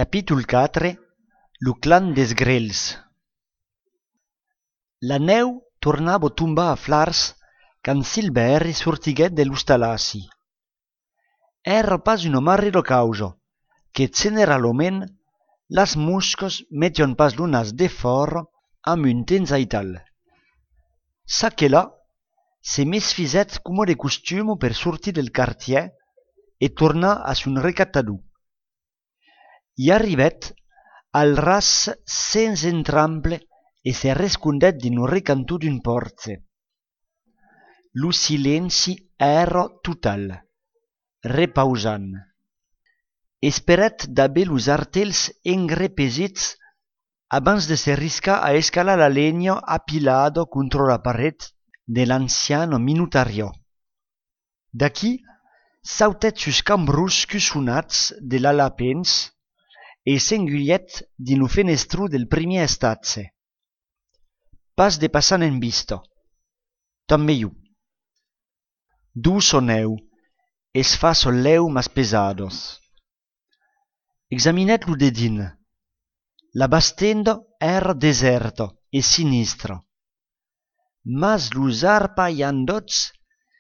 Capítol 4. Lo clan des grelhs. La neu tornava a tombar a flars quand Silvère sortiguèt de l'ostalassi. Era pas una marrida causa, que generalment las moscas metion pas lo nas de fora amb un temps aital. Sa que là, se mesfisèt coma de costumo per sortir del quartier e tornar a son recatador. I arribèt al ras sens entramble e se rescondèt din o recantó d'un porze. Lo silenci era total, repausant. Esperèt d'aver los artèls engrepesits abans de se riscar a escalar la legna apilada contra la paret de l'anciano minutariò. D'aquí sautèt sus cambros cussonats de l'alapens e s'enguièt din lo fenestro del primièr estatge. Pas de passant en vista. Tanben. Dus o neu, es fa solleu mas pesados. Examinèt lo dedin. La bastenda era deserta e sinistra. Mas los arpaiandots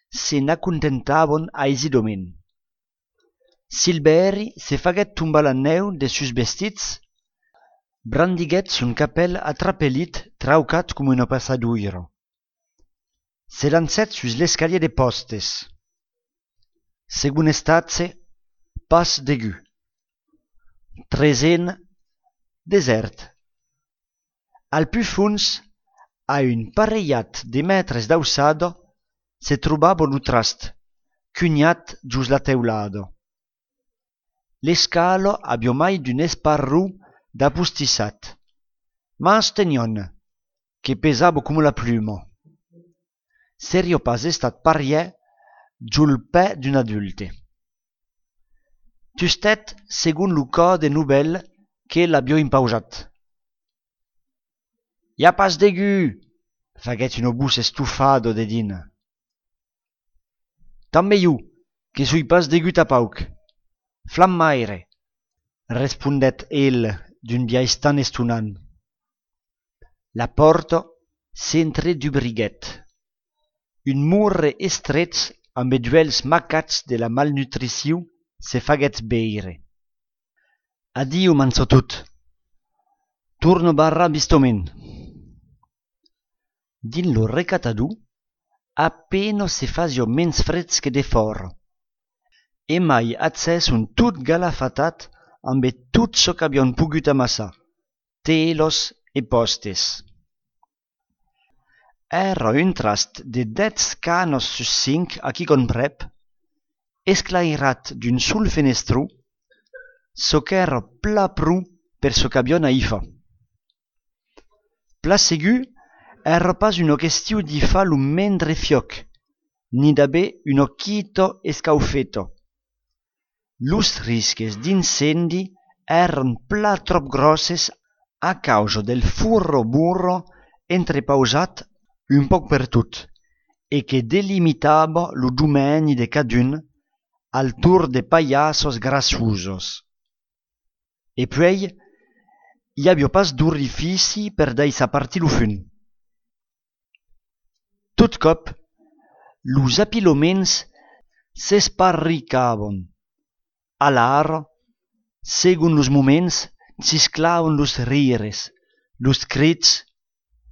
se n'acontentavan aisidament. Silvère se faguèt tombar la neu de sus vestits, brandiguèt son capèl atrapelit traucat com una passadoira. Se lancèt sus l'escalier de postes. Segon estatge, pas degu. Trezen, desert. Al plus fons, a un pareillat de mètres d'alçada, se trobava lo trast, cunhat jos la teulada. L'escala aviò mai d'un esparrù d'apostissat, mas tenion, que pesava com la pluma. Serio pas estat pariè giul pè d'un adulte. Tustet segon lo cò de novel que l'aviò impausat. «Ja pas degu!» faguèt una voce estufada de din. «Tanben jo, que soi pas degu tapauc. Flammaire!» respondèt el d'un biais tan estonant. La porta s'entredubriguèt. Un murre estret amb duels macats de la malnutrició se faguèt veire. «Adio, mançotut! Torno barra bistament!» Din lo recatador, appena se fasio mens freds que de fora, e mai accès un tot galafatat amb tot çò qu'avion pogut amassar, telos e postes. Era un trast de 10 canos sus 5 a qui comprèp, esclairat d'un sol fenestró, çò qu'era pla prou per çò qu'avion a i fa. Pla segur, era pas una qüestiu d'i fa lo mendre fioc, ni d'aver una quita escaufeta. Los risques d'incendi eran pla trop grosses a causa del furro burro entrepausat un poc per tot e que delimitava lo domeni de cadun al tour de paillassos grassosos. E puei, i aviò pas d'orifici per daïsa partir lo fun. Tot cop, los apiloments s'esparricavan. Alara, segon los moments, cisclavan los rires, los crits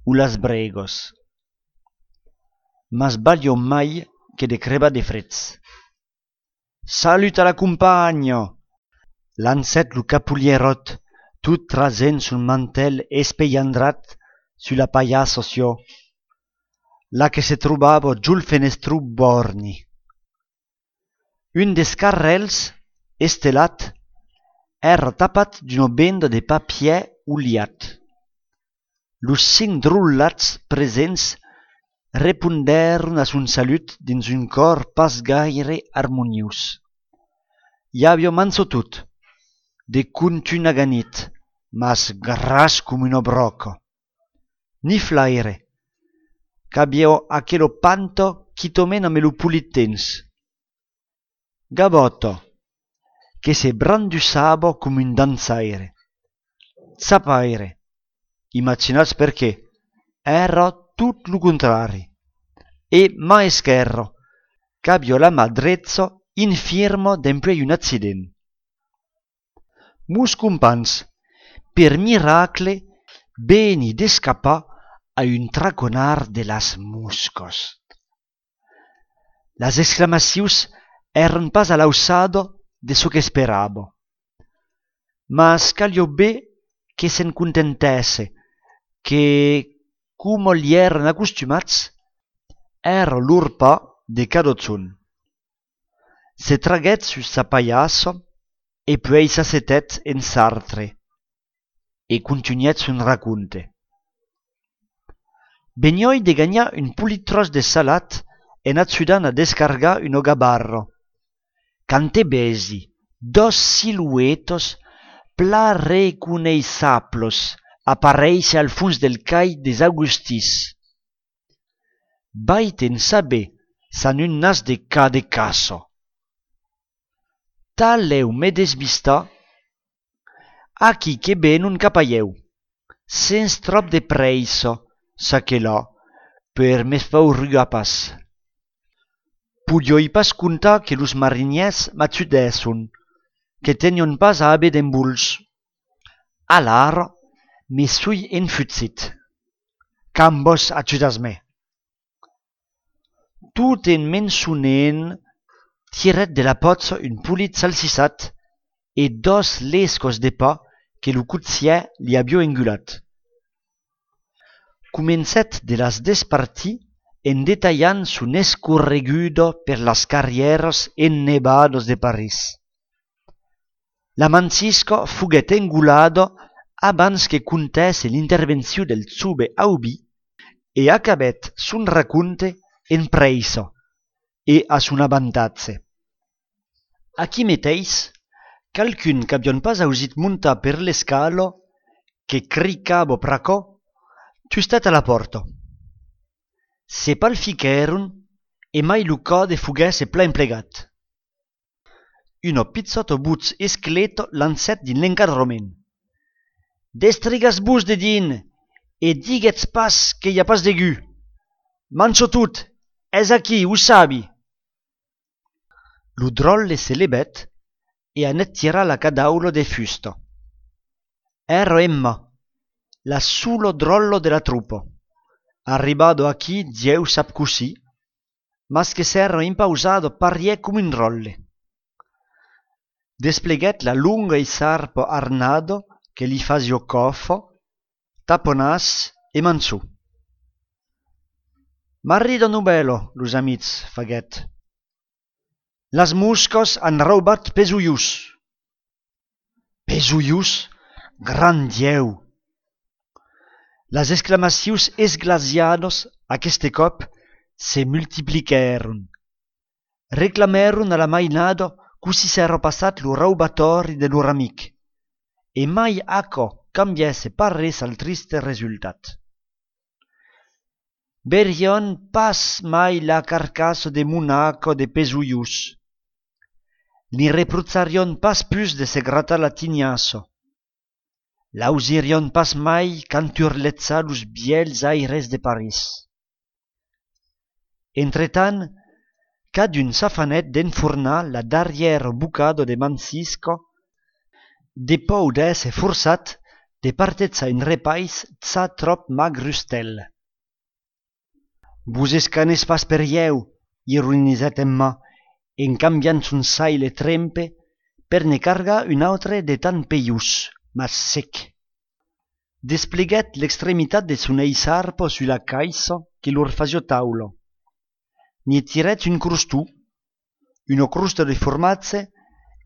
o las bregos. Mas valió mai que de crebar de freds. «Salut a la compagna!» lancèt lo capulierot, tot trasent son mantel espeiandrat su la paillassa sió, la que se trobava giul fenestró borni. Un des carrels, estelat, era tapat d'una benda de papier oliat. Los 5 drullats presents repondèron a son salut dins un cor pas gaire harmoniós. Hi aviò mançotut, de contun aganit, mas gras com una broca. Ni flaire, qu'aviò aquelo panto quitomen amb lo pulit temps. Gabota, que se brandissava come un danzaire. Zapaire, immaginats perché, era tot lo contrari. E maescherro, c'abbia la madrezzo infirmo d'empuei un accident. Mus compans, per miracle, beni d'escapar a un traconar de las muscos. Las exclamacions eran pas a l'ausado de so que speravo. Mas calio bé que se'n contentesse, que, como li eran acostumats, era lor pa de cadotzon. Se traguèt sus sa paiasso e puei s'assetèt en sartre e continuèt son raconte. Benioi de gagnar un polit tros de salat en ajudan a descargar un ogabarro. Cante besi, dos siluetos pla reconeixables aparèixer al fons del cai des Augustís. Vaiten saber san un nas de ca de caso. Taleu me desvistar aquí que benon cap aieu, sens trop de preissa, sa que là, per me faurugar pas. Pudioi pas contar que los mariniers m'atudesson, que tenion pas a haver d'embuls. Alara me sui enfutzit. Cambos ajudas-me. Tot en mensonent tiret de la potza un polit salsissat e dos lescos de pa que lo coutier li abbia engulat. Comencet de las despartir en detallant son escorregudo per las carrieras ennebados de París. La Mancisco fuguet engulado abans que contesse l'intervenció del Tsube Aubi e acabet son raconte en preissa e a son avantatge. Aquí meteis, calcun qu'abion pas ausit montar per l'escalo, que cricava pracò, tustet a la porta. Se pal fichèron e mai lo code fuguesse plein plegat. Uno pizzotto buz esqueleto lancet din l'encadrament. Destrigas-vos de din e diguetz pas que y a pas de gu. Mancho tot, és aquí, ho sabi. Lo drolle se lebet e anet tira la cadaulo de fusto. Ero Emma, la sulo drollo de la truppo. Arribado aquí, Dieu sap così, mas que s'ero impausado pariè come un rolle. Despleguet la lunga e sarpo arnado che li fasio coffo, taponas e manzù. Marrido nubelo, los amics, faguet. Las muscos han raubat pesuius. Pesuius? Gran Dieu! Las exclamacions esglasiados aqueste cop se multipliquèron. Reclamèron a la mainado così s'ero passat lo raubatori de lor amic, e mai aquò cambiesse pas res al triste resultat. Verion pas mai la carcasso de Monaco de Pesuius. Ni repruzzarion pas plus de se gratar la tignasso. L'ausirion pas mai canturletzar los biels aires de Paris. Entretant, cadun s'afanet d'enfornar la darrière bucado de Mancisco, de pou d'esse forçat de partezar un repais tza trop magrustel. Vos escanes pas per ieu, ironizet Emma, en canviant son saile trempe per ne cargar un autre de tan peius, mas sec. Despleguet l'extremitat de son eisarpo su la caissa que lor fasio taulo. Ni tiret un crustù, uno crusto de formazze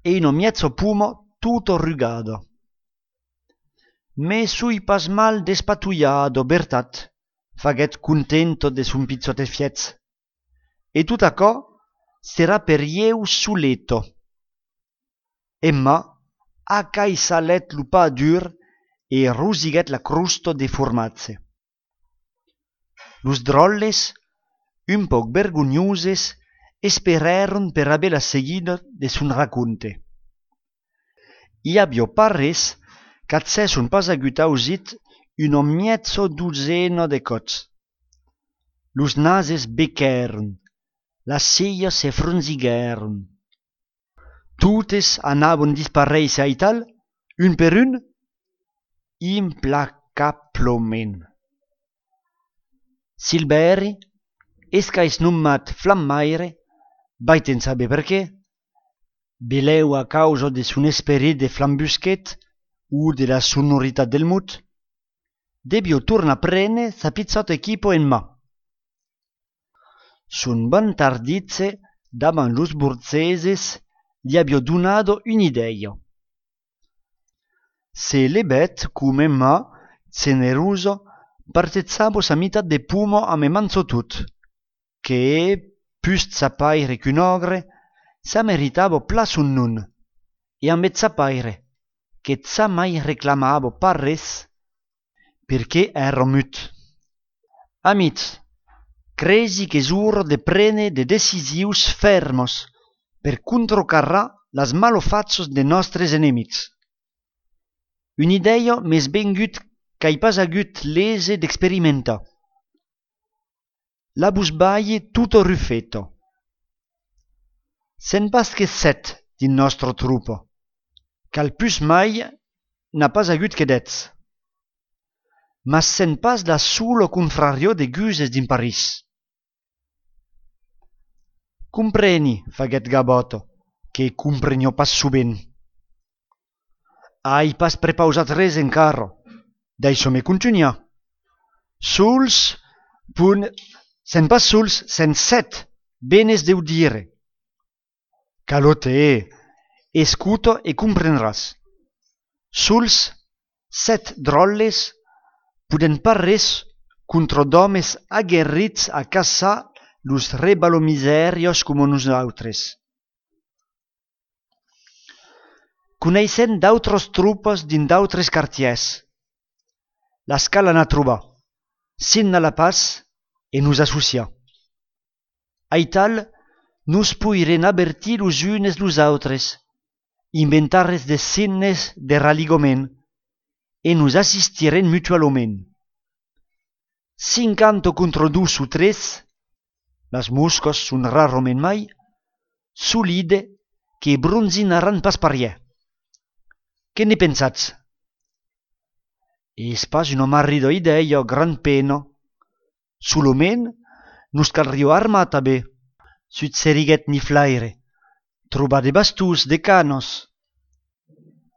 e uno mezzo pumo tutto rugado. Me sui pas mal despatuiado, bertat, faguet contento de son pizzote fiez. E tut acò sera per ieu suleto. Emma acaisalet lo pa dur e rosiguet la crusto de formazze. Los drolles, un poc vergognuses, esperèron per haver la seguida de son raconte. I abbio parres qu'at se son pas agut ausit una miezzo duzena de cots. Los nases becèron, las ceias se fronziguèron. Totes anavon disparèisser a ital, un per un, implacablement. Silvèri, esqu'ais nommat Flammaire, vaiten saber per qué, belèu a causa de son esperit de flambusquet o de la sonoritat del mut, debio tornar prene sa pizzota equipo en mà. Son bon tardizze davan los borzeses li abbio donado un'idea. Se lebet come ma, generoso, partezzavo sa mitat de pumo a me manzo tut, che, pust sapaire qu'un ogre, sa meritavo pla son nun, e ambet sapaire, che sa mai reclamavo parres, perché ero mut. Amics, cresi che sur de prene de decisius fermos per controcarrar las malofazzos de nostres enemics. Un'idea mes ben gut qu'ai pas agut lese d'experimentar. La busbaie tutto ruffetto. Sen pas che 7 din nostro truppo, qu'al pus mai n'a pas agut che dez. Mas sen pas la solo contrario de guses din Paris. Compreni, faguet Gaboto, che comprenio pas su ben. Ai pas prepausat res encara, d'això me continuar. Sols, sen pas sols, sen 7, benes deu dire. Calote, escuto e comprendràs. Sols 7 drolles puden pas res contra d'homes aguerrits a caçar los rebalomiserios como nosaltres. Coneissent d'autres tropes din d'autres quartiers. La scala n'a trobat, sin la pas e nos associa. Aital, nos poiren avertir los unes los autres, inventares de signes de raligament e nos assistiren mutualment. 50 contra 2 o 3, las moscas son rarament mai, solide que bronzinaran pas parier. Che ne pensatz? Es pas una marrida idea gran pena. Soloment, nos calrio armata bé, sut seriguet ni flaire, trobar de bastus, de canos,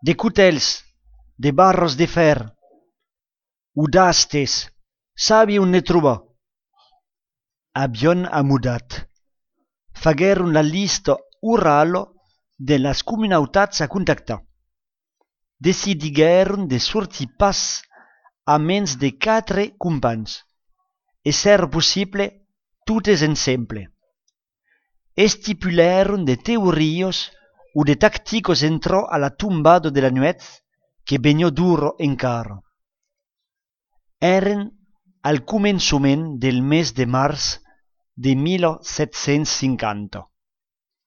de cutels, de barros de fer, o d'astes, sabi on ne troba. Abion amudat. Fagueron la lista oralo de las comunautats a contactar. Decidiguèron de sortir pas a mens de 4 companys, e ser possible totes ensemble. Estipulèron de teorios o de tacticos entro a la tombada de la nuet que benio duro encara. Eren al començament del mes de març de 1750.